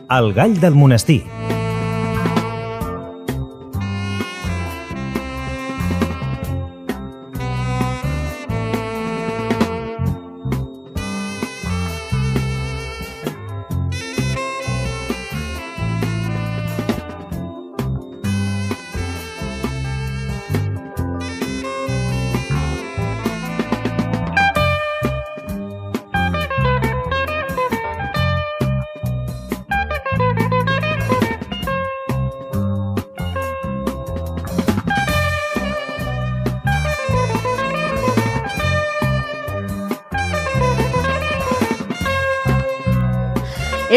El gall del monestir.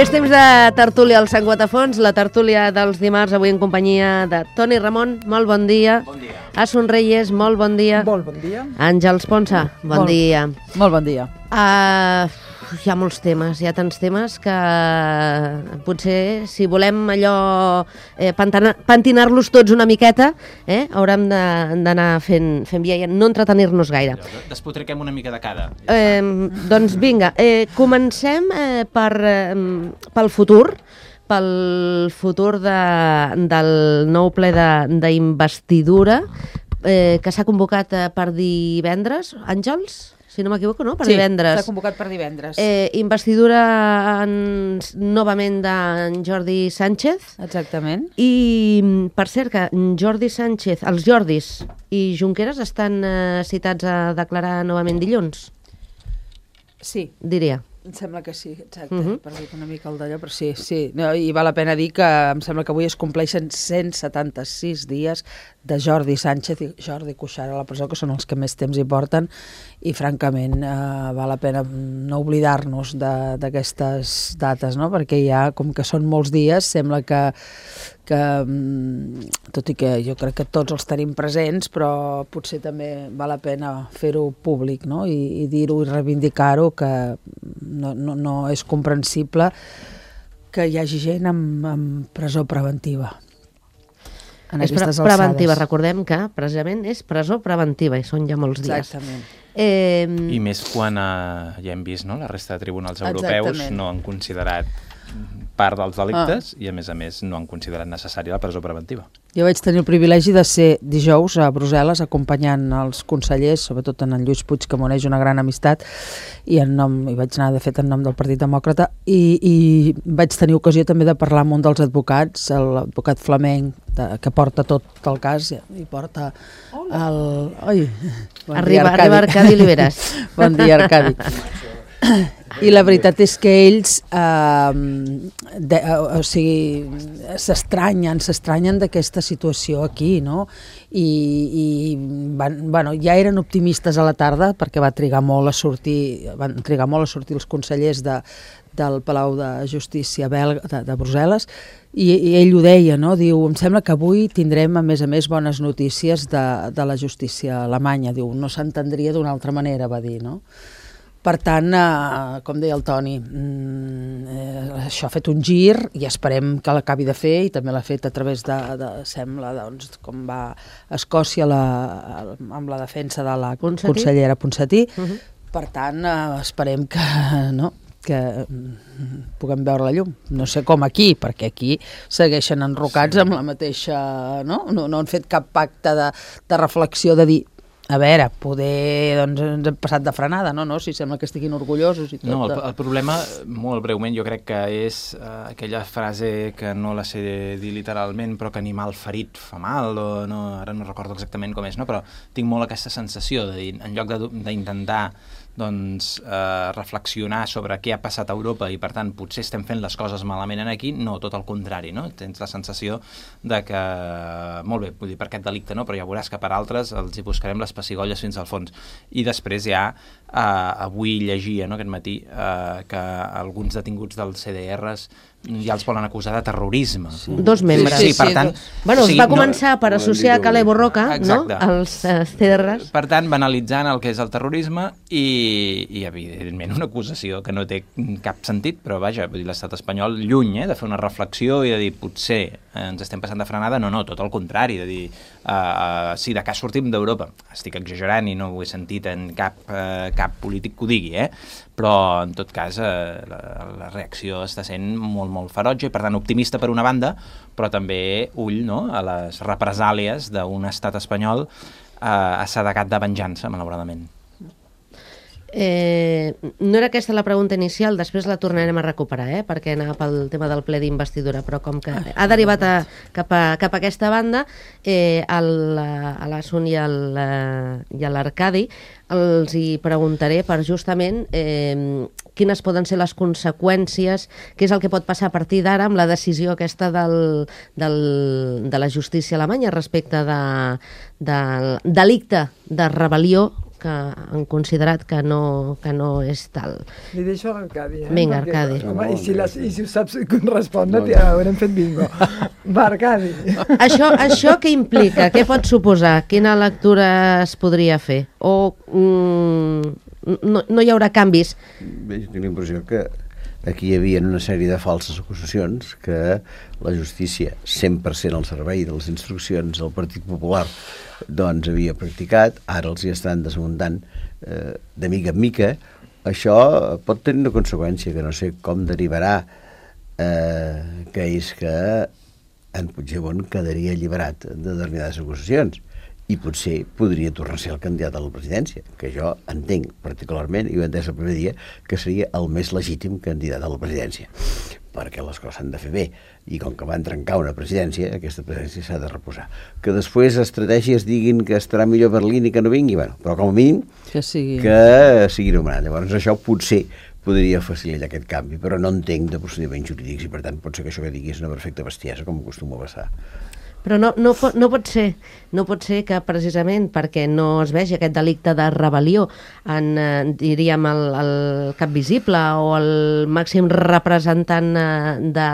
És temps de tertúlia al Sant Guatafons, la tertúlia dels dimarts, avui en companyia de Toni Ramon, molt bon dia. Bon dia. Asun Reyes, molt bon dia. Molt bon dia. Àngels Ponsa, bon dia. Molt bon dia. Hi ha molts temes, hi ha tants temes que potser si volem allò pentinar-los tots una miqueta, haurem d'anar fent via i no entretenir-nos gaire. Despotriquem una mica de cada. Doncs vinga, comencem pel futur, del nou ple d'investidura que s'ha convocat per divendres, Àngels? Si no m'equivoco, no? Per divendres. Sí, s'ha convocat per divendres. Investidura novament d'en Jordi Sánchez. Exactament. I, per cert, que Jordi Sánchez, els Jordis i Junqueras estan citats a declarar novament dilluns? Sí. Diria. Em sembla que sí, exacte, per dir una mica el d'allò, però sí. No, i val la pena dir que em sembla que avui es compleixen 176 dies de Jordi Sánchez i Jordi Cuixart a la presó, que són els que més temps hi porten, i francament val la pena no oblidar-nos d'aquestes dates, no? Perquè ja, com que són molts dies, sembla que tot i que jo crec que tots els tenim presents, però potser també val la pena fer-ho públic, no? I dir-ho i reivindicar-ho, que no és comprensible que hi hagi gent amb presó preventiva. És preventiva, recordem que precisament és presó preventiva i són ja molts dies. Exactament. I més quan ja hem vist, no? La resta de tribunals europeus Exactament. no han considerat part dels delictes i a més no han considerat necessària la presó preventiva. Jo vaig tenir el privilegi de ser dijous a Brussel·les acompanyant els consellers, sobretot en Lluís Puig, que m'uneix una gran amistat, i vaig anar de fet en nom del Partit Demòcrata, i vaig tenir ocasió també de parlar amb un dels advocats, l'advocat flamenc, que porta tot el cas, i porta el... Arriba Arcadi Oliveres. Bon dia, Arcadi. I la veritat és que ells s'estranyen d'aquesta situació aquí, no? I ja eren optimistes a la tarda perquè van trigar molt a sortir els consellers del Palau de Justícia belga de Brussel·les, i ell ho deia, no? Diu, em sembla que avui tindrem a més bones notícies de la justícia alemanya. Diu, no s'entendria d'una altra manera, va dir, no? Per tant, com deia el Toni, això ha fet un gir i esperem que l'acabi de fer, i també l'ha fet a través sembla, com va a Escòcia amb la defensa de la consellera Ponsatí. Per tant, esperem que puguem veure la llum. No sé com aquí, perquè aquí segueixen enrocats amb la mateixa... No han fet cap pacte de reflexió de dir, a veure, poder ens hem passat de frenada, no? Si sembla que estiguin orgullosos i tot. No, el problema, molt breument, jo crec que és aquella frase que no la sé dir literalment, però que animal ferit fa mal, o no, ara no recordo exactament com és, no? Però tinc molt aquesta sensació de dir, en lloc d'intentar reflexionar sobre què ha passat a Europa i per tant potser estem fent les coses malament aquí, no, tot el contrari, no? Tens la sensació de que, molt bé, vull dir, per aquest delicte no, però ja veuràs que per altres els hi buscarem les pessigolles fins al fons. I després ja avui llegia, no, aquest matí, que alguns detinguts dels CDRs ja els volen acusar de terrorisme. Sí. Dos membres. Sí, per tant... Bueno, es va començar per associar Caleb Borroca, no?, als CDRs. Per tant, banalitzant el que és el terrorisme i evidentment, una acusació que no té cap sentit, però vaja, vull dir, l'estat espanyol lluny de fer una reflexió i de dir, potser ens estem passant de frenada, no, tot el contrari, de dir, si de cas sortim d'Europa, estic exagerant i no ho he sentit en cap polític que ho digui, però en tot cas la reacció està sent molt molt ferotge, i per tant optimista per una banda, però també ull, no?, a les represàlies d'un estat espanyol assedegat de venjança, malauradament. No era aquesta la pregunta inicial, després la tornarem a recuperar, perquè anava pel tema del ple d'investidura, però com que ha derivat cap a aquesta banda, a l'Asun i a l'Arcadi els hi preguntaré per justament quines poden ser les conseqüències, què és el que pot passar a partir d'ara amb la decisió aquesta de la justícia alemanya respecte del delicte de rebel·lió que han considerat que no és tal. Li deixo a l'Arcadi. Vinga, Arcadi. Home, i si ho saps respondre, haurem fet bingo. Va, Arcadi. Això què implica? Què pot suposar? Quina lectura es podria fer? O no hi haurà canvis? Bé, jo tinc la impressió que aquí hi havia una sèrie de falses acusacions que la justícia, 100% al servei de les instruccions del Partit Popular, doncs havia practicat, ara els hi estan desmuntant de mica en mica. Això pot tenir una conseqüència que no sé com derivarà, que és que en Puigdemont quedaria alliberat de determinades acusacions i potser podria tornar a ser el candidat a la presidència, que jo entenc particularment, i ho he entès el primer dia, que seria el més legítim candidat a la presidència, perquè les coses s'han de fer bé, i com que van trencar una presidència, aquesta presidència s'ha de reposar. Que després estratègies diguin que estarà millor Berlín i que no vingui, bueno, però com a mínim que sigui nomenat. Llavors això potser podria facilitar aquest canvi, però no entenc de procediments jurídics i per tant pot ser que això que digui és una perfecta bestiesa, com acostuma a passar. Però no pot ser que precisament perquè no es vegi aquest delicte de rebel·lió en, diríem, el cap visible o el màxim representant de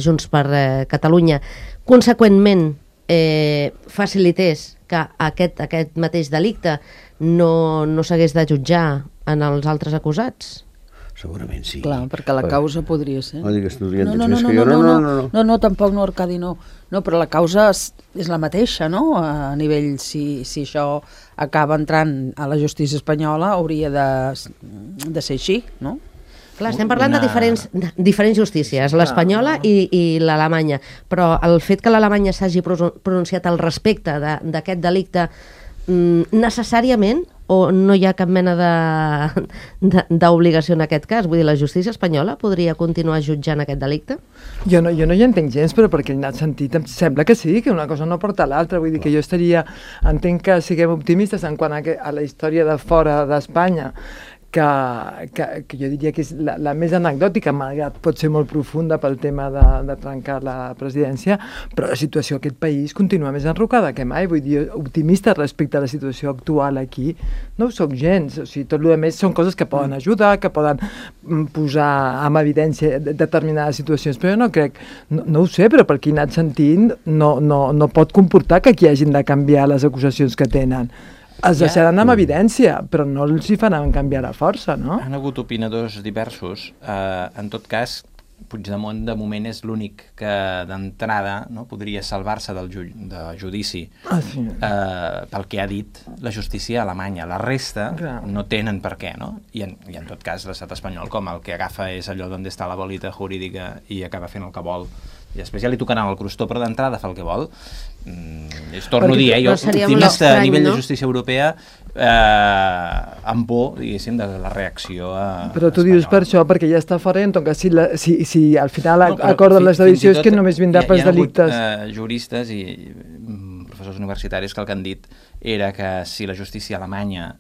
Junts per Catalunya, conseqüentment facilités que aquest mateix delicte no s'hagués de jutjar en els altres acusats? Segurament sí. Clar, perquè la causa podria ser. No digues, tu més que jo. No, tampoc no, Arcadi, no. No, però la causa és la mateixa, no? A nivell, si això acaba entrant a la justícia espanyola, hauria de ser així, no? Clar, estem parlant de diferents justícies, l'espanyola i l'alemanya, però el fet que l'Alemanya s'hagi pronunciat al respecte d'aquest delicte necessàriament, o no hi ha cap mena d'obligació en aquest cas? Vull dir, la justícia espanyola podria continuar jutjant aquest delicte? Jo no hi entenc gens, però perquè en aquest sentit em sembla que sí, que una cosa no porta a l'altra. Vull dir que jo entenc que siguem optimistes en quant a la història de fora d'Espanya, que jo diria que és la més anecdòtica, malgrat pot ser molt profunda pel tema de trencar la presidència, però la situació d'aquest país continua més enrocada que mai. Vull dir, optimista respecte a la situació actual aquí no ho soc gens. O sigui, tot el més són coses que poden ajudar, que poden posar en evidència determinades situacions, però jo no crec, no ho sé, però per qui he anat sentint no pot comportar que aquí hagin de canviar les acusacions que tenen. Es deixaran amb evidència, però no els hi faran canviar a força, no? Han hagut opinadors diversos. En tot cas, Puigdemont de moment és l'únic que d'entrada podria salvar-se del judici pel que ha dit la justícia alemanya. La resta no tenen per què, no? I en tot cas l'estat espanyol, com el que agafa és allò d'on està la bolita jurídica i acaba fent el que vol. I després ja li tocaran el crostó, però d'entrada fa el que vol. Torno a dir, jo optimista a nivell de justícia europea amb por, diguéssim, de la reacció Però tu dius per això, perquè ja està fora, en tot cas, si al final acorden les edicions que només vindrà pels delictes. Hi ha hagut juristes i professors universitaris que el que han dit era que si la justícia alemanya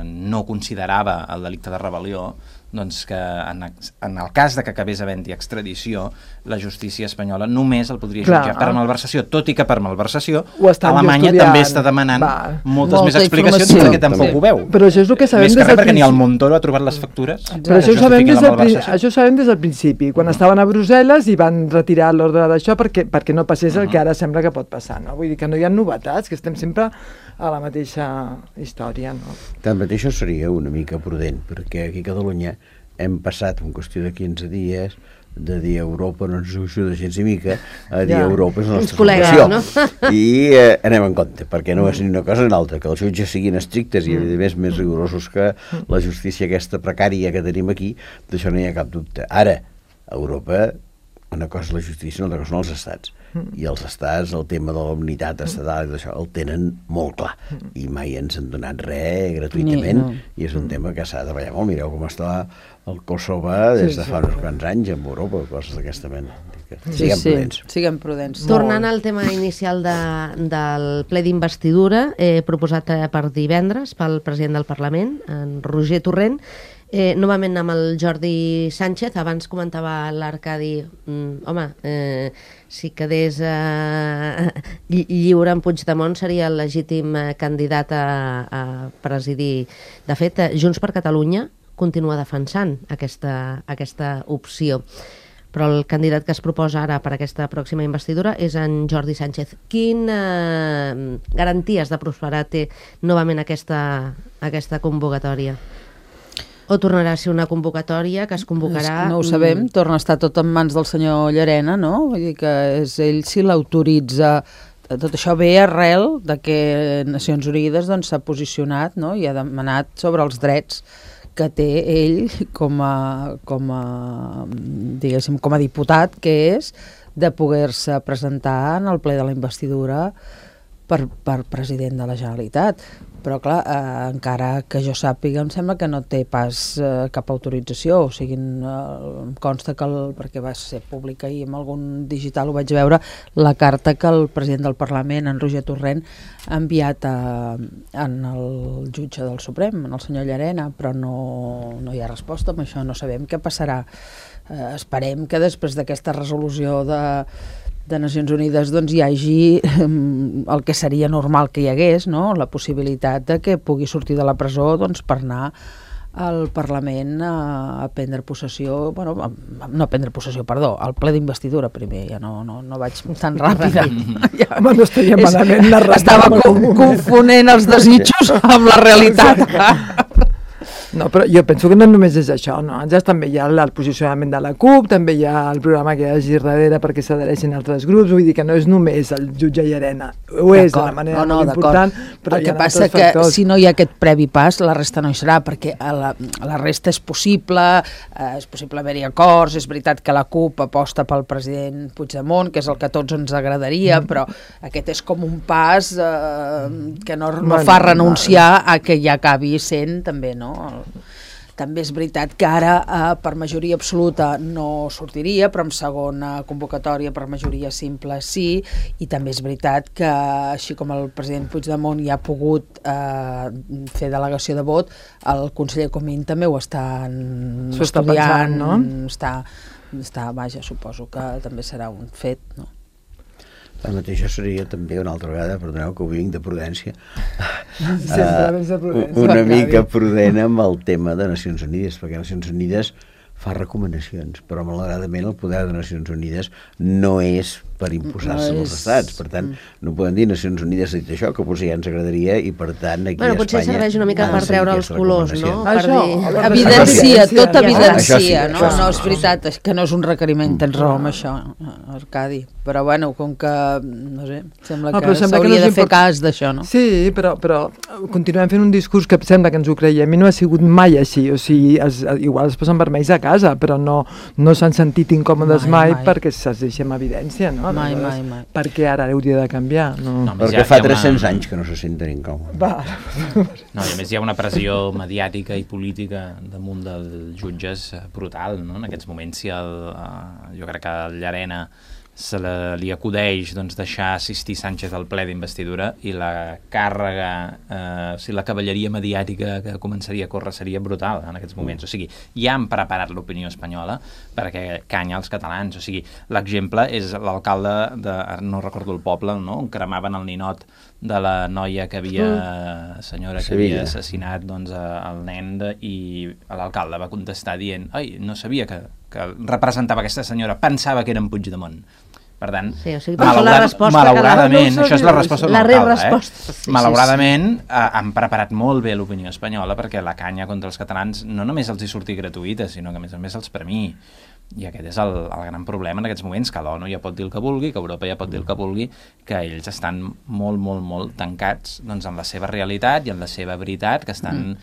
no considerava el delicte de rebel·lió, doncs que en el cas de que acabés havent-hi extradició, la justícia espanyola només el podria jutjar per malversació, tot i que per malversació Alemanya també està demanant moltes més explicacions perquè tampoc ho veu. Però això és el que sabem des del principi. Perquè ni el Montoro ha trobat les factures. Però això ho sabem des del principi, quan estaven a Brussel·les i van retirar l'ordre d'això perquè no passés el que ara sembla que pot passar, no? Vull dir que no hi ha novetats, que estem sempre a la mateixa història, no? Tanmateix això seria una mica prudent, perquè aquí a Catalunya hem passat en qüestió de 15 dies de dir Europa no ens ajuda gens ni mica a dir Europa és la nostra col·legues, solució. I anem en compte, perquè no és ni una cosa ni una altra, que els jutges siguin estrictes i a més rigorosos que la justícia aquesta precària que tenim aquí, d'això no hi ha cap dubte. Ara, a Europa, una cosa és la justícia, una altra cosa són els estats. I els estats, el tema de la unitat estatal i d'això, el tenen molt clar. I mai ens han donat res gratuïtament, i és un tema que s'ha de treballar molt. Mireu com està el Kosovo des de fa uns quants anys en Europa, coses d'aquesta mena. Siguem prudents. Siguem prudents. Tornant al tema inicial del ple d'investidura, proposat per divendres pel president del Parlament, en Roger Torrent, novament amb el Jordi Sánchez. Abans comentava l'Arcadi, si quedés lliure en Puigdemont seria el legítim candidat a presidir. De fet, Junts per Catalunya continua defensant aquesta opció, però el candidat que es proposa ara per aquesta pròxima investidura és en Jordi Sánchez. Quines garanties de prosperar té novament aquesta convocatòria? O tornarà a ser una convocatòria que es convocarà... No ho sabem, torna a estar tot en mans del senyor Llarena, no? Vull dir que és ell si l'autoritza. Tot això ve arrel de que Nacions Unides s'ha posicionat, no? I ha demanat sobre els drets que té ell com a diputat, que és de poder-se presentar en el ple de la investidura per president de la Generalitat. Però clar, encara que jo sàpiga, em sembla que no té pas cap autorització, o sigui, em consta que, perquè va ser públic ahir en algun digital, ho vaig veure, la carta que el president del Parlament, en Roger Torrent, ha enviat en el jutge del Suprem, en el senyor Llarena, però no hi ha resposta amb això, no sabem què passarà. Esperem que després d'aquesta resolució de Nacions Unides hi hagi el que seria normal que hi hagués, no? La possibilitat de que pugui sortir de la presó per anar al Parlament a prendre possessió, no a prendre possessió, perdó, al ple d'investidura primer, ja no vaig tan ràpida. Home, no estaria malament narrat. Estava confonent els desitjos amb la realitat. No, però jo penso que no només és això, no? Ja també hi ha el posicionament de la CUP, també hi ha el programa que hi hagi darrere perquè s'adhereixin altres grups, vull dir que no és només el jutge Llarena, ho és de manera molt important, però el que passa que si no hi ha aquest previ pas, la resta no hi serà, perquè la resta és possible haver-hi acords, és veritat que la CUP aposta pel president Puigdemont, que és el que a tots ens agradaria, però aquest és com un pas que no fa renunciar a que ja acabi sent també, no? També és veritat que ara per majoria absoluta no sortiria, però en segona convocatòria per majoria simple sí, i també és veritat que així com el president Puigdemont ja ha pogut fer delegació de vot, el conseller Comín també ho està estudiant, no? Vaja, suposo que també serà un fet, no? Això seria també una altra vegada, perdoneu que ho vinc de prudència, una mica prudent amb el tema de Nacions Unides, perquè Nacions Unides fa recomanacions, però malauradament el poder de Nacions Unides no és per imposar-se als estats, per tant no podem dir Nacions Unides ha dit això, que potser ja ens agradaria i per tant aquí a Espanya potser serveix una mica per treure els colors, no? Evidencia, tot evidencia, no? No és veritat, que no és un requeriment, tens raó amb això, Arcadi, però bueno, com que no sé, sembla que s'hauria de fer cas d'això, no? Sí, però continuem fent un discurs que sembla que ens ho creiem i no ha sigut mai així, o sigui, igual es posen vermells a casa, però no s'han sentit incòmodes mai perquè se'ls deixa en evidència, no? Mai. Perquè ara hauria de canviar? Perquè fa 300 anys que no se senten incòmodes. No, i a més hi ha una pressió mediàtica i política damunt dels jutges brutal, no? En aquests moments jo crec que el Llarena li acudeix deixar assistir Sánchez al ple d'investidura i la càrrega, la cavalleria mediàtica que començaria a córrer seria brutal en aquests moments. O sigui, ja han preparat l'opinió espanyola perquè canya els catalans. O sigui, l'exemple és l'alcalde no recordo el poble, no? On cremaven el ninot de la noia que havia assassinat el nen i l'alcalde va contestar dient no sabia que representava aquesta senyora, pensava que era en Puigdemont. Per tant, malauradament, això és la resposta de l'alcalde, malauradament han preparat molt bé l'opinió espanyola perquè la canya contra els catalans no només els hi surti gratuïta, sinó que a més els premiï. I aquest és el gran problema en aquests moments, que l'ONU ja pot dir el que vulgui, que Europa ja pot dir el que vulgui, que ells estan molt tancats doncs, en la seva realitat i en la seva veritat, que estan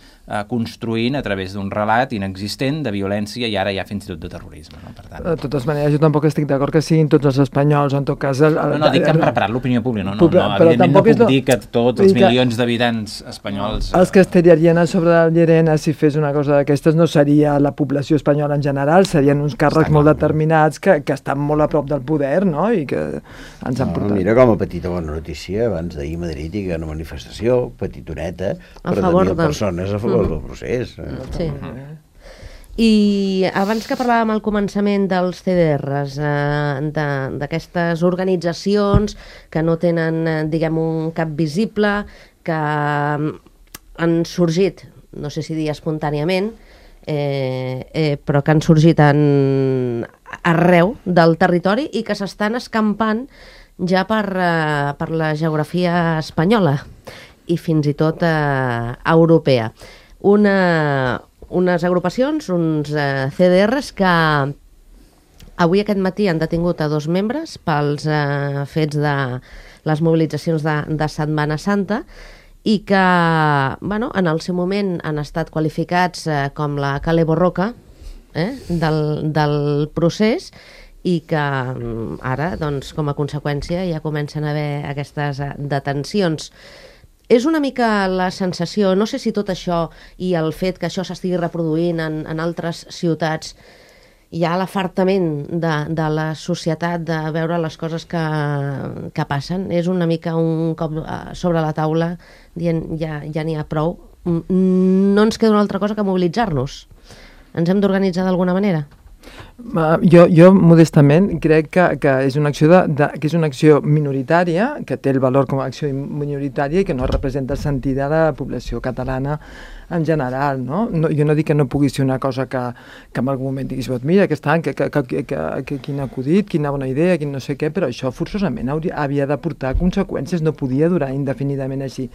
construint a través d'un relat inexistent de violència i ara ja fins i tot de terrorisme. No? Per tant... De totes maneres, jo tampoc estic d'acord que siguin tots els espanyols, en tot cas... No, dic que han preparat l'opinió pública, evidentment no puc dir que tots els milions d'habitants espanyols... Els que esteriarien a sobre del Llerena, si fes una cosa d'aquestes, no seria la població espanyola en general, serien uns càrrecs molt determinats que estan molt a prop del poder, no?, i que ens han portat... Mira, com a petita bona notícia, abans d'ahir a Madrid hi ha una manifestació petitoneta per 10.000 persones a favor del procés. Sí. I abans que parlàvem al començament dels CDRs, d'aquestes organitzacions que no tenen, diguem, un cap visible, que han sorgit, no sé si dir espontàniament, però que han sorgit arreu del territori i que s'estan escampant ja per la geografia espanyola i fins i tot europea. Unes agrupacions, uns CDRs que avui aquest matí han detingut a 2 membres pels fets de les mobilitzacions de Setmana Santa i que, bueno, en el seu moment han estat qualificats com la Kale Borroka del procés i que ara, doncs, com a conseqüència, ja comencen a haver aquestes detencions. És una mica la sensació, no sé si tot això i el fet que això s'estigui reproduint en altres ciutats, hi ha l'afartament de la societat de veure les coses que passen. És una mica un cop sobre la taula dient ja n'hi ha prou. No ens queda una altra cosa que mobilitzar-nos. Ens hem d'organitzar d'alguna manera? Jo modestament crec que és una acció que és una acció minoritària, que té el valor com a acció minoritària i que no representa el sentit de la població catalana en general, no? Jo no dic que no pugui ser una cosa que en algun moment diguis, mira, quin acudit, quina bona idea, quin no sé què, però això forçosament havia de portar conseqüències, no podia durar indefinidament així.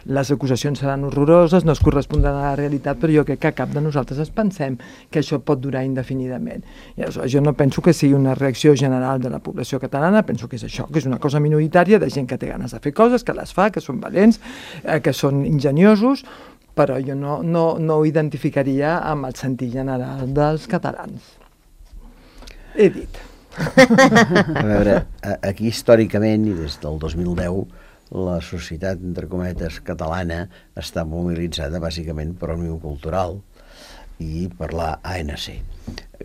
Les acusacions seran horroroses, no es correspondran a la realitat, però jo crec que cap de nosaltres es pensem que això pot durar indefinidament. I aleshores, jo no penso que sigui una reacció general de la població catalana, penso que és això, que és una cosa minoritària de gent que té ganes de fer coses, que les fa, que són valents, que són enginyosos, però jo no ho identificaria amb el sentit general dels catalans. He dit. A veure, aquí històricament, i des del 2010, la societat, entre cometes, catalana està mobilitzada bàsicament per Òmnium Cultural i per la ANC,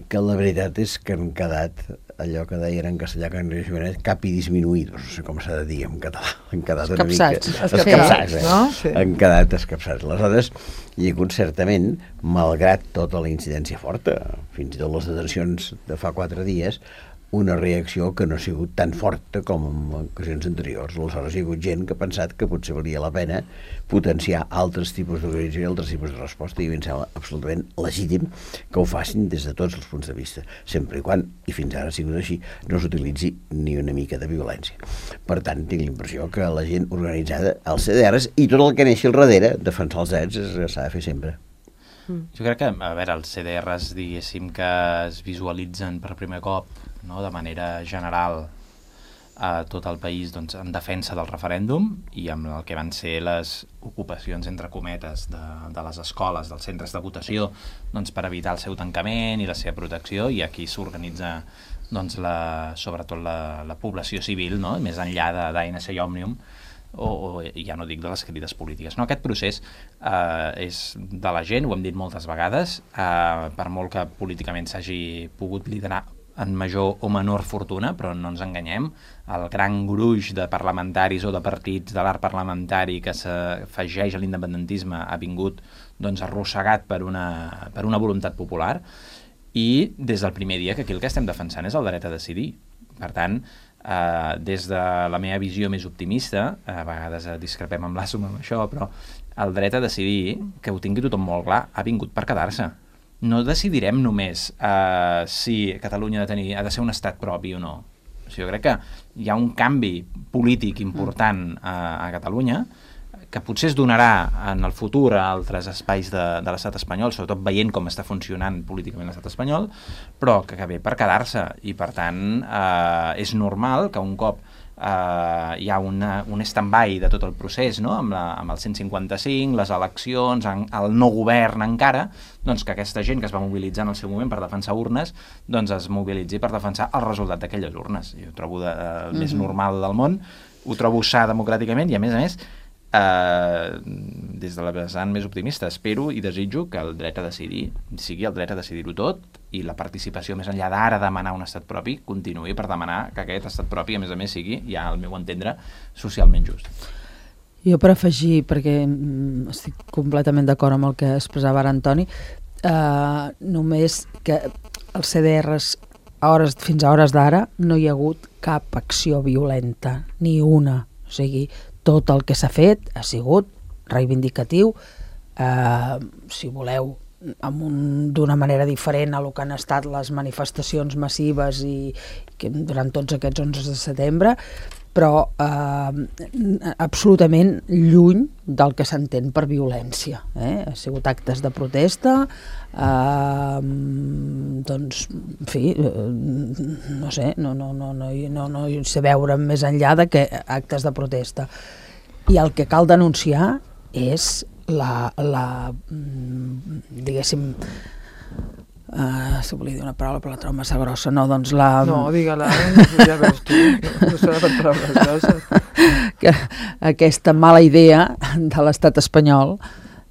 que la veritat és que han quedat allò que deien en castellà que capi disminuïdos, no sé com s'ha de dir en català, han quedat una mica escapçats, no? Sí. Han quedat escapçats. Aleshores, hi ha hagut certament, malgrat tota la incidència forta, fins i tot les detencions de fa 4 dies, una reacció que no ha sigut tan forta com en ocasions anteriors. Aleshores hi ha hagut gent que ha pensat que potser valia la pena potenciar altres tipus d'organització i altres tipus de resposta, i em sembla absolutament legítim que ho facin des de tots els punts de vista, sempre i quan, i fins ara ha sigut així, no s'utilitzi ni una mica de violència. Per tant, tinc la impressió que la gent organitzada, els CDRs i tot el que neixi al darrere, defensar els drets s'ha de fer sempre. Jo crec que, a veure, els CDRs, diguéssim, que es visualitzen per primer cop, no, de manera general a tot el país, doncs, en defensa del referèndum i amb el que van ser les ocupacions, entre cometes, de les escoles, dels centres de votació, doncs, per evitar el seu tancament i la seva protecció, i aquí s'organitza doncs, sobretot la població civil, no? Més enllà d'ANC i Òmnium, o ja no dic de les crides polítiques. No, aquest procés és de la gent, ho hem dit moltes vegades, per molt que políticament s'hagi pogut liderar en major o menor fortuna, però no ens enganyem, el gran gruix de parlamentaris o de partits de l'art parlamentari que s'afegeix a l'independentisme ha vingut doncs, arrossegat per una voluntat popular, i des del primer dia que aquí el que estem defensant és el dret a decidir. Per tant, des de la meva visió més optimista, a vegades discrepem amb l'Assum amb això, però el dret a decidir, que ho tingui tothom molt clar, ha vingut per quedar-se. No decidirem només si Catalunya ha de ser un estat propi o no. O sigui, jo crec que hi ha un canvi polític important a Catalunya que potser es donarà en el futur a altres espais de l'estat espanyol, sobretot veient com està funcionant políticament l'estat espanyol, però que ve per quedar-se, i per tant és normal que un cop hi ha un stand-by de tot el procés, no? amb el 155, les eleccions, el no govern encara, doncs que aquesta gent que es va mobilitzar en el seu moment per defensar urnes, doncs es mobilitzi per defensar el resultat d'aquelles urnes. Jo ho trobo el més normal del món, ho trobo sa democràticament, i a més, des de la vessant més optimista, espero i desitjo que el dret a decidir sigui el dret a decidir-ho tot, i la participació més enllà d'ara demanar un estat propi continuï per demanar que aquest estat propi a més sigui, ja al meu entendre, socialment just. Jo per afegir, perquè estic completament d'acord amb el que expressava ara Antoni, només que els CDRs fins a hores d'ara no hi ha hagut cap acció violenta, ni una, o sigui, tot el que s'ha fet ha sigut reivindicatiu, si voleu, d'una manera diferent a el que han estat les manifestacions massives i durant tots aquests 11 de setembre, però absolutament lluny del que s'entén per violència. Ha sigut actes de protesta, doncs, en fi, no sé, no sé veure més enllà de que actes de protesta. I el que cal denunciar és diguéssim, si volia dir una paraula però la trobo massa grossa, no, doncs No, digue-la, ja veus tu, no s'ha de paraules grosses. Aquesta mala idea de l'estat espanyol,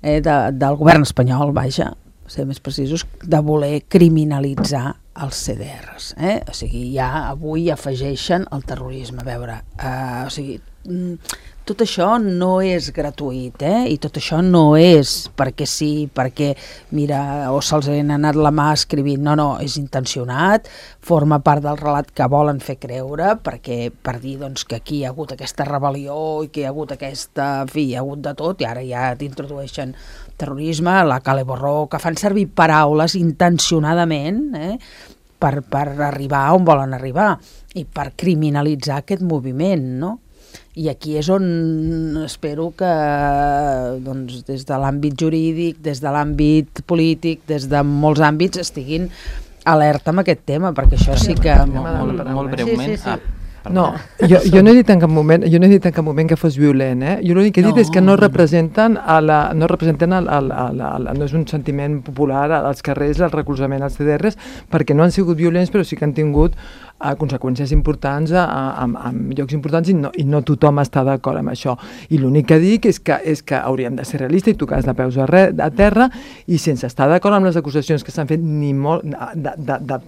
del govern espanyol, vaja, ser més precisos, de voler criminalitzar els CDRs. O sigui, ja avui afegeixen el terrorisme. A veure, o sigui, tot això no és gratuït, i tot això no és perquè sí, perquè, mira, o se'ls ha anat la mà escrivint. No, és intencionat, forma part del relat que volen fer creure, perquè per dir doncs, que aquí hi ha hagut aquesta rebel·lió i que hi ha hagut aquesta... En fi, hi ha hagut de tot, i ara ja t'introdueixen terrorisme, la Cale Borró, que fan servir paraules intencionadament per arribar on volen arribar i per criminalitzar aquest moviment, no? I aquí és on espero que doncs, des de l'àmbit jurídic, des de l'àmbit polític, des de molts àmbits estiguin alerta amb aquest tema, perquè això sí que... Molt breument... No, jo no he dit en cap moment que fos violent, Jo l'únic que he dit és que no representen no és un sentiment popular als carrers, el recolzament als CDRs, perquè no han sigut violents, però sí que han tingut conseqüències importants en llocs importants i no tothom està d'acord amb això. I l'únic que dic és que hauríem de ser realistes i tocar de peus a terra, i sense estar d'acord amb les acusacions que s'han fet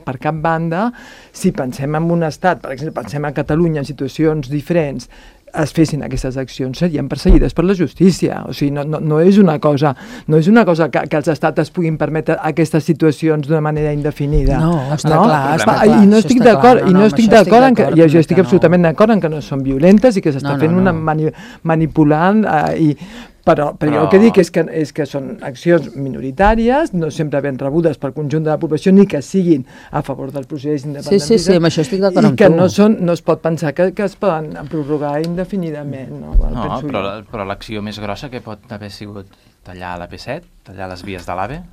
per cap banda, si pensem en un estat, per exemple, pensem a Catalunya en situacions diferents, es fessin aquestes accions, serien perseguides per la justícia. O sigui, no és una cosa que els estats es puguin permetre aquestes situacions d'una manera indefinida. No, està clar. I no estic d'acord, jo estic absolutament d'acord en que no són violentes i que s'està fent una manipulant però jo el que dic és que són accions minoritàries, no sempre ben rebudes pel conjunt de la població, ni que siguin a favor del procés independentista. Sí, amb això estic d'acord amb tu. I que no es pot pensar que es poden prorrogar indefinidament. No, però l'acció més grossa que pot haver sigut tallar l'AP7, tallar les vies de l'AVE,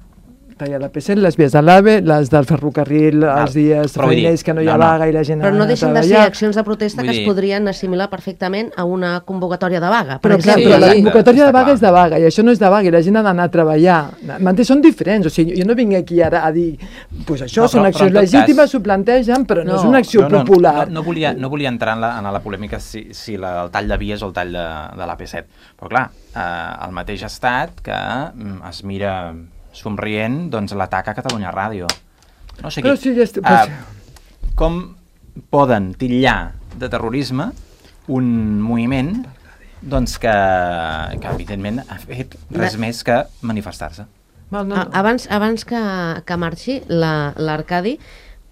tallar l'AP7, les vies de l'AVE, les del ferrocarril, els dies feiners que no hi ha vaga i la gent ha Però no de deixen de ser accions de protesta que es podrien assimilar perfectament a una convocatòria de vaga. Però la convocatòria de vaga és de vaga, i això no és de vaga, i la gent ha d'anar a treballar. Són diferents, o sigui, jo no vinc aquí ara a dir doncs això són accions legítimes, s'ho plantegen, però no és una acció popular. No volia entrar en la polèmica si el tall de vies o el tall de l'AP7, però clar, el mateix estat que es mira somrient, doncs l'atac a Catalunya Ràdio. No sé com poden titllar de terrorisme un moviment doncs que evidentment ha fet res més que manifestar-se. Abans que marxi, l'Arcadi,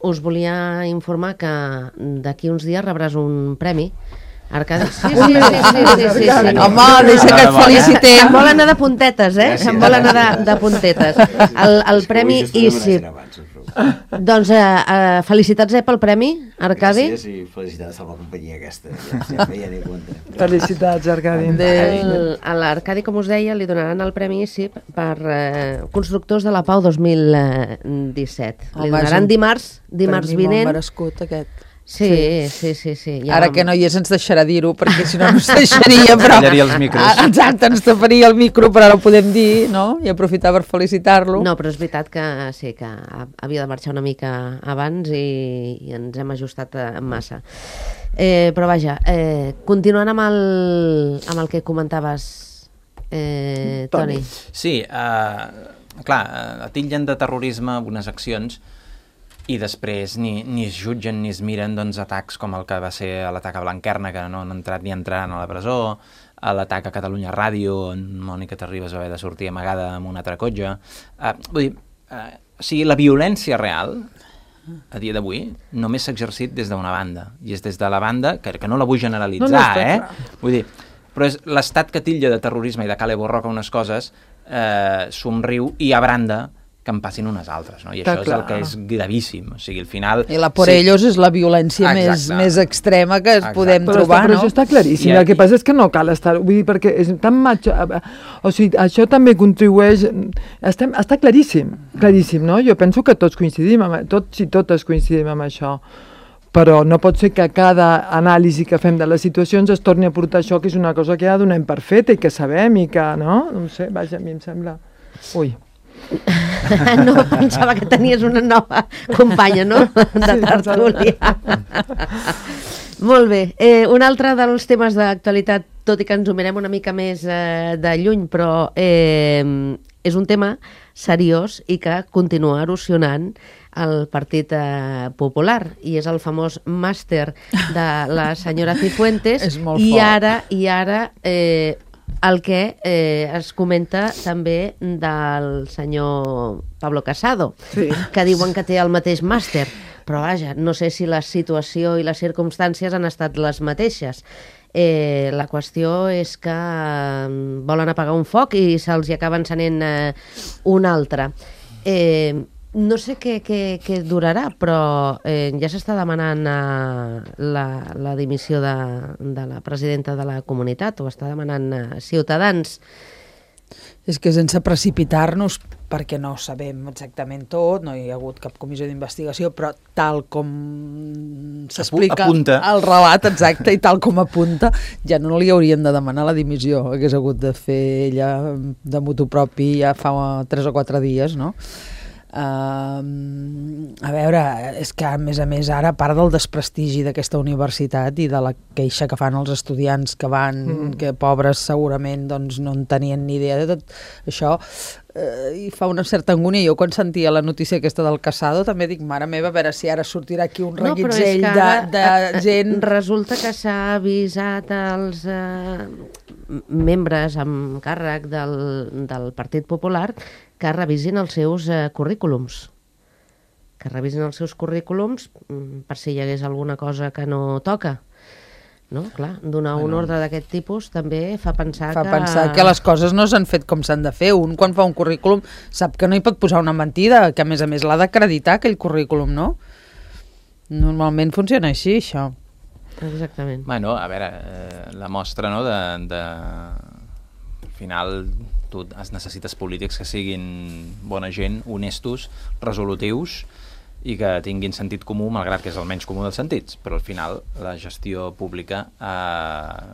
us volia informar que d'aquí uns dies rebràs un premi. Arcadi? Sí. Home, deixa que et felicitem. Se'n vol anar de puntetes, Se'n vol anar de puntetes. El premi ISIP. Doncs felicitats pel premi, Arcadi. Gràcies i felicitats a la companyia aquesta. Ja n'hi compte. Felicitats, Arcadi. A l'Arcadi, com us deia, li donaran el Premi ICIP per Constructors de la Pau 2017. Li donaran dimarts vinent. Molt merescut, aquest. Sí. Ja ara que no hi és ens deixarà dir-ho, perquè si no ens deixaria, però... Tallaria els micros. Exacte, ens taparia el micro, però ara ho podem dir, no? I aprofitar per felicitar-lo. No, però és veritat que sí, que havia de marxar una mica abans i ens hem ajustat massa. Però vaja, continuant amb el que comentaves, Toni. Sí, clar, atillen de terrorisme unes accions i després ni es jutgen ni es miren atacs com el que va ser l'atac a Blanquerna, que no han entrat ni entraran a la presó, l'atac a Catalunya Ràdio, on Mònica Terribas va haver de sortir amagada amb una altra cotxe. Vull dir, o sigui, la violència real, a dia d'avui, només s'ha exercit des d'una banda, i és des de la banda, que no la vull generalitzar, vull dir, però és l'estat que titlla de terrorisme i de cale borroca unes coses, somriu i abranda que en passin unes altres, no? I això és el que és gravíssim, o sigui, al final... I la por ellos és la violència més extrema que podem trobar, no? Però això està claríssim, el que passa és que no cal estar... Vull dir, perquè és tan macho... O sigui, això també contribueix... Està claríssim, no? Jo penso que tots coincidim, tots i totes coincidim amb això, però no pot ser que cada anàlisi que fem de les situacions es torni a portar això, que és una cosa que ja donem per feta i que sabem i que, no? No sé, vaja, a mi em sembla... Ui... No, pensava que tenies una nova companya, no? De tertúlia. Molt bé. Un altre dels temes d'actualitat, tot i que ens ho mirem una mica més de lluny, però és un tema seriós i que continua erosionant el Partit Popular, i és el famós màster de la senyora Cifuentes. És molt fort. I ara el que es comenta també del senyor Pablo Casado, que diuen que té el mateix màster, però vaja, no sé si la situació i les circumstàncies han estat les mateixes. La qüestió és que volen apagar un foc i se'ls acaba encenent un altre. No sé què durarà, però ja s'està demanant la dimissió de la presidenta de la comunitat, o està demanant Ciutadans. És que sense precipitar-nos, perquè no sabem exactament tot, no hi ha hagut cap comissió d'investigació, però tal com s'explica el relat, exacte, i tal com apunta, ja no li haurien de demanar la dimissió, hagués hagut de fer ella de motu propi ja fa 3 o 4 dies, no? A veure, és que a més ara, a part del desprestigi d'aquesta universitat i de la queixa que fan els estudiants que van, que pobres segurament doncs no en tenien ni idea de tot això, i fa una certa angúnia. Jo quan sentia la notícia aquesta del Casado també dic, mare meva, a veure si ara sortirà aquí un reguitzell de gent. Resulta que s'ha avisat als membres amb càrrec del Partit Popular que revisin els seus currículums. Que revisin els seus currículums per si hi hagués alguna cosa que no toca. No? Clar, donar un ordre d'aquest tipus també fa pensar que les coses no s'han fet com s'han de fer. Un, quan fa un currículum, sap que no hi pot posar una mentida, que a més l'ha d'acreditar aquell currículum, no? Normalment funciona així, això. Exactament. Bueno, a veure, la mostra, no, al final tu necessites polítics que siguin bona gent, honestos, resolutius i que tinguin sentit comú, malgrat que és el menys comú dels sentits, però al final la gestió pública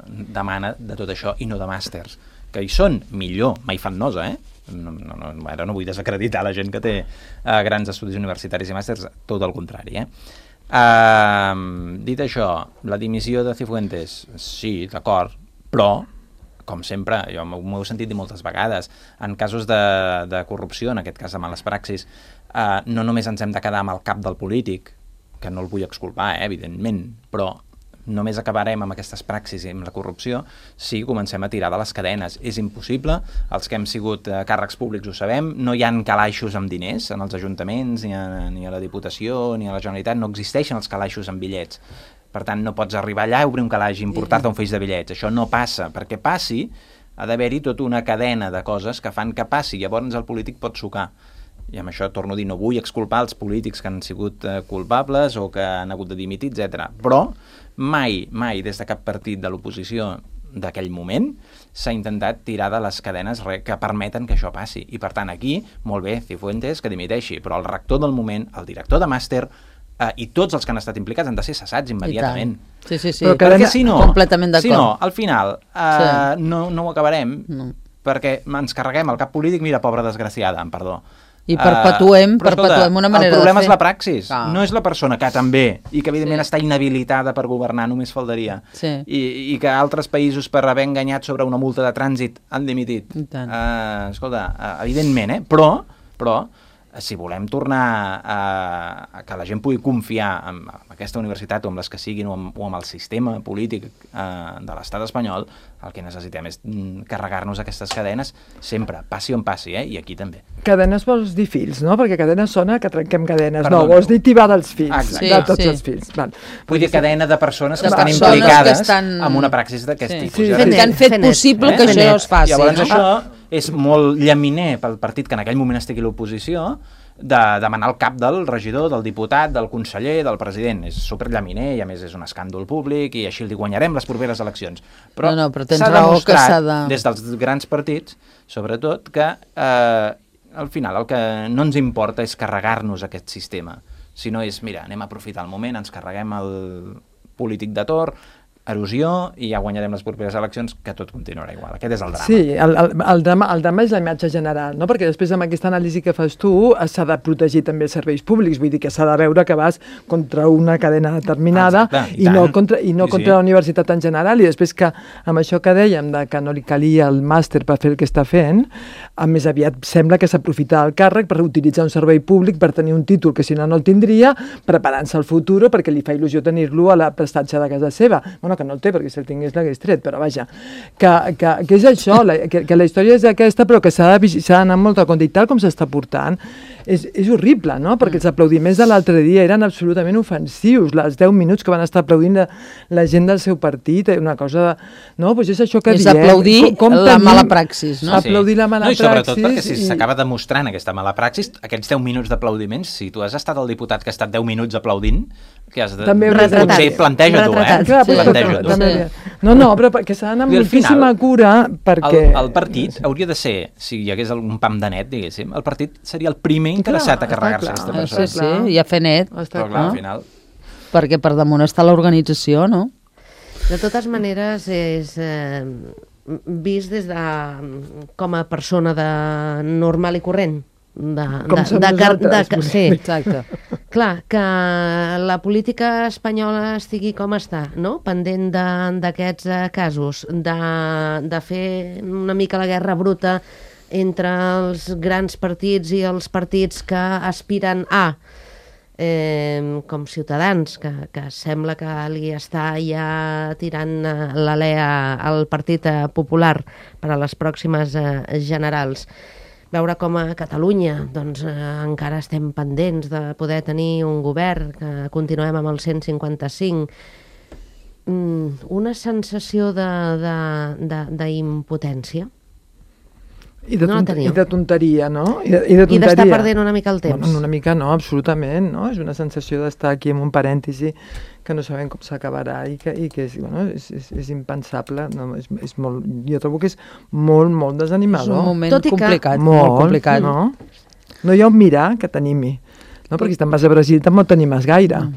demana de tot això i no de màsters, que hi són millor, mai fan nosa, ara no vull desacreditar la gent que té grans estudis universitaris i màsters, tot el contrari, dit això, la dimissió de Cifuentes, sí, d'acord, però com sempre, jo m'ho he sentit dir moltes vegades, en casos de corrupció, en aquest cas de males praxis, no només ens hem de quedar amb el cap del polític, que no el vull exculpar, evidentment, però només acabarem amb aquestes praxis i amb la corrupció si comencem a tirar de les cadenes. És impossible, els que hem sigut càrrecs públics ho sabem, no hi ha calaixos amb diners en els ajuntaments, ni a la Diputació, ni a la Generalitat, no existeixen els calaixos amb bitllets. Per tant, no pots arribar allà, obrir un calaix i importar-te un feix de bitllets. Això no passa. Perquè passi, ha d'haver-hi tota una cadena de coses que fan que passi. Llavors el polític pot sucar. i amb això torno a dir, no vull exculpar els polítics que han sigut culpables o que han hagut de dimitir, etc. Però mai des de cap partit de l'oposició d'aquell moment s'ha intentat tirar de les cadenes que permeten que això passi. I per tant aquí, molt bé, Cifuentes que dimiteixi, però el rector del moment, el director de màster i tots els que han estat implicats han de ser cessats immediatament. Sí. Perquè si no, completament d'acord. Si no, al final no ho acabarem perquè ens carreguem el cap polític, mira, pobra desgraciada, amb perdó. I perpetuem una manera de fer. El problema és la praxis, no és la persona que també, i que evidentment està inhabilitada per governar, només faltaria. I que altres països per haver enganyat sobre una multa de trànsit han dimitit. Escolta, evidentment, però si volem tornar a que la gent pugui confiar en aquesta universitat o en les que siguin o en el sistema polític de l'estat espanyol, el que necessitem és carregar-nos aquestes cadenes sempre, passi on passi, i aquí també. Cadenes vols dir fills, no? Perquè cadenes sona que trenquem cadenes. No, vols dir tibar dels fills, de tots els fills. Vull dir cadena de persones que estan implicades en una praxis d'aquest tipus. Que han fet possible que això es faci. Llavors això és molt llaminer pel partit que en aquell moment estigui a l'oposició de demanar el cap del regidor, del diputat, del conseller, del president. És superllaminer i a més és un escàndol públic i així li guanyarem les properes eleccions. Però s'ha demostrat des dels grans partits, sobretot, que al final el que no ens importa és carregar-nos aquest sistema, sinó és, mira, anem a aprofitar el moment, ens carreguem el polític de torn, erosió, i ja guanyarem les properes eleccions, que tot continuarà igual. Aquest és el drama. Sí, el drama és la imatge general, no? Perquè després amb aquesta anàlisi que fas tu s'ha de protegir també els serveis públics, vull dir que s'ha de veure que vas contra una cadena determinada i no contra la universitat en general, i després que amb això que dèiem de que no li calia el màster per fer el que està fent, més aviat sembla que s'aprofita el càrrec per utilitzar un servei públic per tenir un títol que si no el tindria, preparant-se al futur perquè li fa il·lusió tenir-lo a la prestatge de casa seva. Bueno, que no el té, perquè si el tingués l'hagués tret, però vaja, que és això, que la història és aquesta, però que s'ha d'anar amb molta compte, i tal com s'està portant, és horrible, no? Perquè els aplaudiments de l'altre dia eren absolutament ofensius, els 10 minuts que van estar aplaudint la gent del seu partit, una cosa... No, doncs és això que diem. És aplaudir la mala praxis, no? Aplaudir la mala praxis. I sobretot perquè si s'acaba demostrant aquesta mala praxis, aquests 10 minuts d'aplaudiments, si tu has estat el diputat que ha estat 10 minuts aplaudint, que has de... Potser planteja tu, planteja tu. No, però perquè s'ha d'anar amb moltíssima cura, perquè... El partit hauria de ser, si hi hagués algun pam de net, diguéssim, el partit seria el primer interessat a carregar-se aquesta persona. Sí, i a fer net. Però clar, al final... Perquè per damunt està l'organització, no? De totes maneres, és vist des de com a persona normal i corrent. Sí, exacte. Clar, que la política espanyola estigui com està, no? Pendent d'aquests casos, de fer una mica la guerra bruta entre els grans partits i els partits que aspiren a, com Ciutadans, que sembla que li està ja tirant l'alè al Partit Popular per a les pròximes generals. Veure com a Catalunya doncs, encara estem pendents de poder tenir un govern, que continuem amb el 155. Una sensació d'impotència. I de tonteria, no? I d'estar perdent una mica el temps. Bueno, una mica no, absolutament, no? És una sensació d'estar aquí en un parèntesi que no sabem com s'acabarà i que és impensable. No? És molt, jo trobo que és molt desanimador. És un moment complicat, molt complicat. No hi ha un mirar que t'animi. No? Perquè si te'n vas a Brasil tampoc t'animes gaire.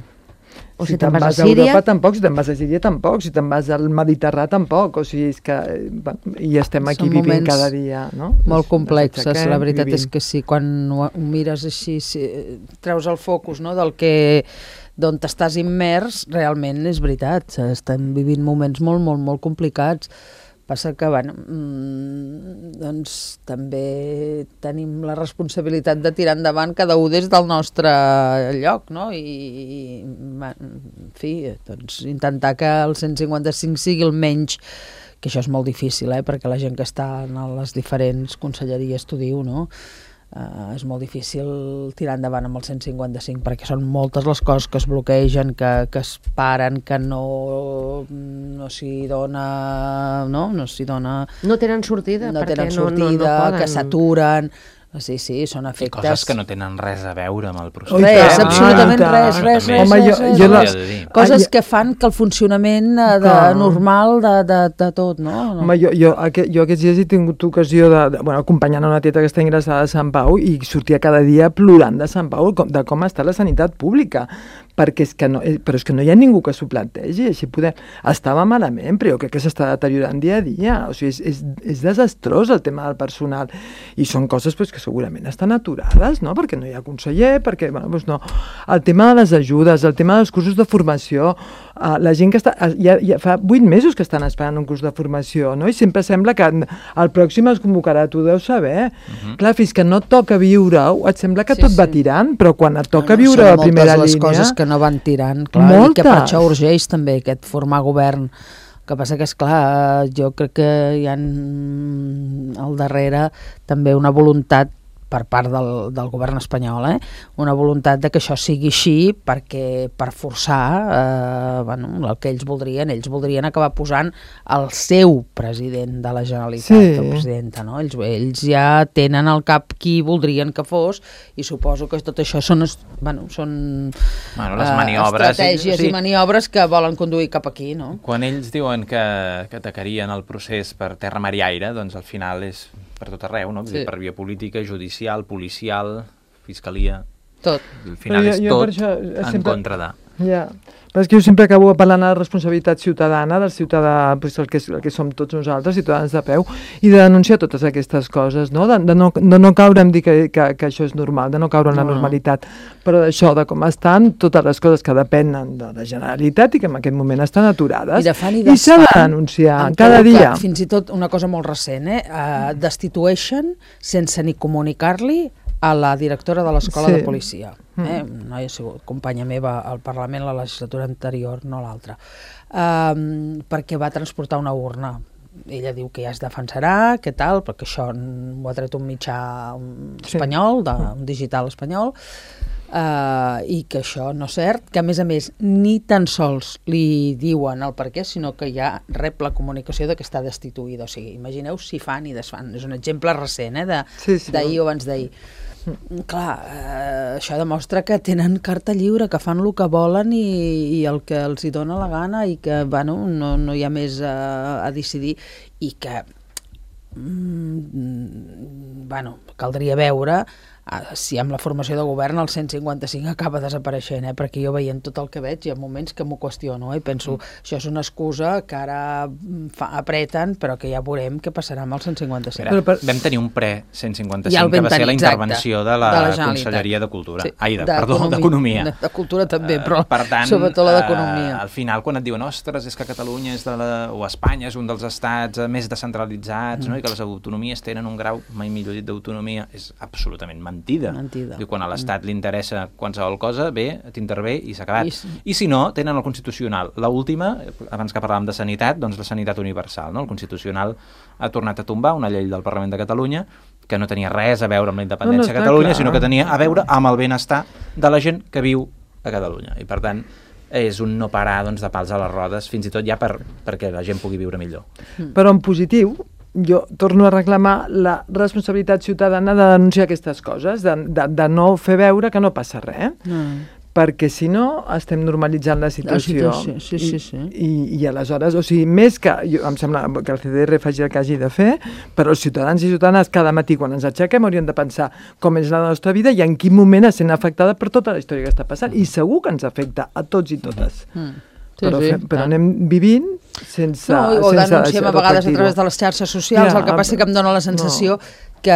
O si te'n vas a Síria... Europa tampoc, si te'n vas a Síria tampoc, si te'n vas al Mediterrani tampoc, o sigui, és que i estem aquí vivint cada dia, no? Molt complexes, la veritat és que sí, quan ho mires així, treus el focus, no?, d'on t'estàs immers, realment és veritat, estem vivint moments molt complicats. Passa que, bueno, doncs també tenim la responsabilitat de tirar endavant cada un des del nostre lloc, no? I en fi, doncs intentar que el 155 sigui el menys, que això és molt difícil, perquè la gent que està en les diferents conselleries t'ho diu, no? És molt difícil tirar endavant amb el 155 perquè són moltes les coses que es bloquegen, que es paren, que no s'hi dona... No s'hi dona... No tenen sortida. No tenen sortida, que s'aturen... Sí, són I efectes... coses que no tenen res a veure amb el procés. Res, absolutament res. Coses que fan que el funcionament normal de tot, no? Home, jo aquests dies he tingut ocasió acompanyant una tieta que està ingressada a Sant Pau i sortia cada dia plorant de Sant Pau, de com està la sanitat pública, perquè és que no hi ha ningú que s'ho plantegi, així estava malament, però jo crec que s'està deteriorant dia a dia, o sigui, és desastrós el tema del personal, i són coses que segurament estan aturades, no? Perquè no hi ha conseller, perquè, no. El tema de les ajudes, el tema dels cursos de formació, la gent que està... Ja fa 8 mesos que estan esperant un curs de formació, no? I sempre sembla que el pròxim es convocarà, tu deus saber. Clar, fins que no et toca viure-ho, et sembla que tot va tirant, però quan et toca viure a primera línia... Són moltes les coses que no van tirant, clar, i que per això urgeix també aquest formar govern. El que passa que, esclar, jo crec que hi ha al darrere també una voluntat per part del govern espanyol, una voluntat de que això sigui així perquè per forçar el que ells voldrien acabar posant el seu president de la Generalitat, el presidenta, no? Ells ja tenen al cap qui voldrien que fos i suposo que tot això són les maniobres, estratègies i maniobres que volen conduir cap aquí, no? Quan ells diuen que atacarien el procés per terra, mar i aire, doncs al final és per tot arreu, no? Per via política, judicial, policial, fiscalia... Tot. Al final és tot en contra de... Ja, però és que jo sempre acabo apel·lant a la responsabilitat ciutadana del ciutadà, el que som tots nosaltres, ciutadans de peu, i de denunciar totes aquestes coses, no? De no caure en dir que això és normal, de no caure en la normalitat, però d'això, de com estan totes les coses que depenen de la Generalitat i que en aquest moment estan aturades, i s'ha de denunciar cada dia. Fins i tot una cosa molt recent, destitueixen sense ni comunicar-li a la directora de l'escola de policia. No ha sigut companya meva al Parlament la legislatura anterior, no l'altra, perquè va transportar una urna. Ella diu que ja es defensarà, què tal, perquè això ho ha tret un mitjà espanyol, un digital espanyol, i que això no és cert, que a més ni tan sols li diuen el per què, sinó que ja rep la comunicació de que està destituïda. O sigui, imagineu si fan i desfan. És un exemple recent, d'ahir o abans d'ahir. Clar, això demostra que tenen carta lliure, que fan el que volen i el que els hi dona la gana i que no hi ha més a decidir i que caldria veure si amb la formació de govern el 155 acaba desapareixent, perquè jo veient tot el que veig hi ha moments que m'ho qüestiono i penso, això és una excusa que ara apreten, però que ja veurem què passarà amb el 155. Vam tenir un pre-155 que va ser la intervenció de la Conselleria de Cultura. D'Economia. De Cultura també, però sobretot la d'Economia. Al final, quan et diuen, ostres, és que Catalunya o Espanya és un dels estats més descentralitzats, i que les autonomies tenen un grau, mai millor dit, d'autonomia, és absolutament mentida. Diu, quan a l'Estat li interessa qualsevol cosa, t'intervé i s'ha acabat. I si no, tenen el Constitucional. L'última, abans que parlàvem de sanitat, doncs la sanitat universal. El Constitucional ha tornat a tombar una llei del Parlament de Catalunya que no tenia res a veure amb la independència de Catalunya, sinó que tenia a veure amb el benestar de la gent que viu a Catalunya. I per tant, és un no parar de pals a les rodes, fins i tot ja perquè la gent pugui viure millor. Però en positiu, jo torno a reclamar la responsabilitat ciutadana de denunciar aquestes coses, de no fer veure que no passa res, perquè si no estem normalitzant la situació. I aleshores, o sigui, més que, em sembla que el CDR faci el que hagi de fer, però els ciutadans i ciutadanes cada matí quan ens aixequem haurien de pensar com és la nostra vida i en quin moment estem afectada per tota la història que està passant, i segur que ens afecta a tots i totes. Però anem vivint sense o denunciem a vegades a través de les xarxes socials, el que passa que em dóna la sensació que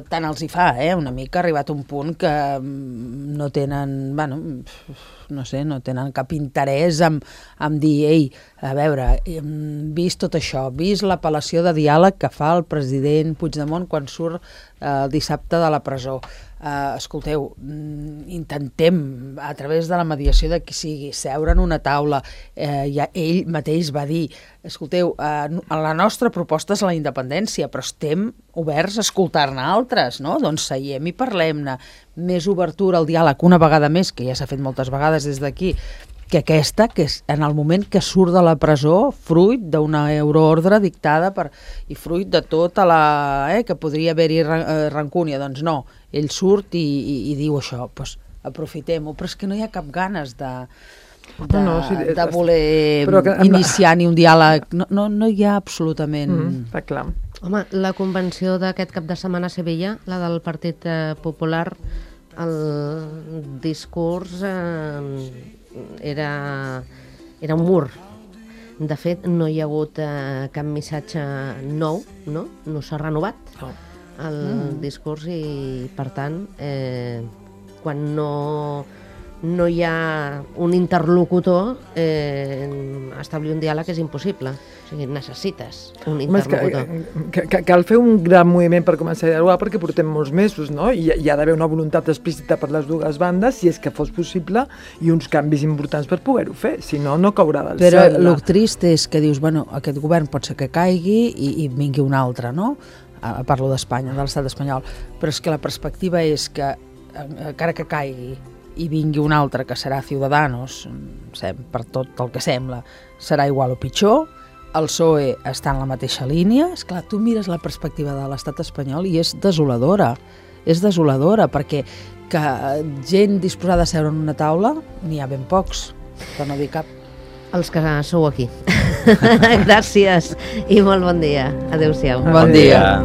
tant els hi fa, una mica, arribat a un punt que no tenen, no tenen cap interès en dir, ei, a veure, vist tot això, vist l'apel·lació de diàleg que fa el president Puigdemont quan surt dissabte de la presó. Escolteu, intentem a través de la mediació de qui sigui seure en una taula, ell mateix va dir, escolteu, la nostra proposta és la independència, però estem oberts a escoltar-ne altres, no? Doncs seiem i parlem-ne, més obertura al diàleg una vegada més, que ja s'ha fet moltes vegades des d'aquí, que aquesta, que és en el moment que surt de la presó, fruit d'una euroordre dictada i fruit de tota la... que podria haver-hi rancúnia. Doncs no, ell surt i diu això, doncs aprofitem-ho, però és que no hi ha cap ganes de voler iniciar ni un diàleg. No hi ha absolutament... Està clar. Home, la convenció d'aquest cap de setmana a Sevilla, la del Partit Popular, el discurs era un mur. De fet, no hi ha hagut cap missatge nou, no? No s'ha renovat el discurs i, per tant, quan no hi ha un interlocutor, establir un diàleg és impossible. O sigui, necessites un interlocutor. Cal fer un gran moviment per començar a dialogar perquè portem molts mesos, no? I hi ha d'haver una voluntat explícita per les dues bandes, si és que fos possible, i uns canvis importants per poder-ho fer. Si no, no caurà del cel. Però el trist és que dius, bueno, aquest govern pot ser que caigui i vingui un altre, no? Parlo d'Espanya, de l'estat espanyol. Però és que la perspectiva és que, encara que caigui, i vingui un altre que serà Ciudadanos, per tot el que sembla, serà igual o pitjor. El PSOE està en la mateixa línia. Esclar, tu mires la perspectiva de l'estat espanyol i és desoladora. És desoladora, perquè que gent disposada a seure en una taula n'hi ha ben pocs, per no dir cap. Els que sou aquí. Gràcies i molt bon dia. Adéu-siau. Bon dia.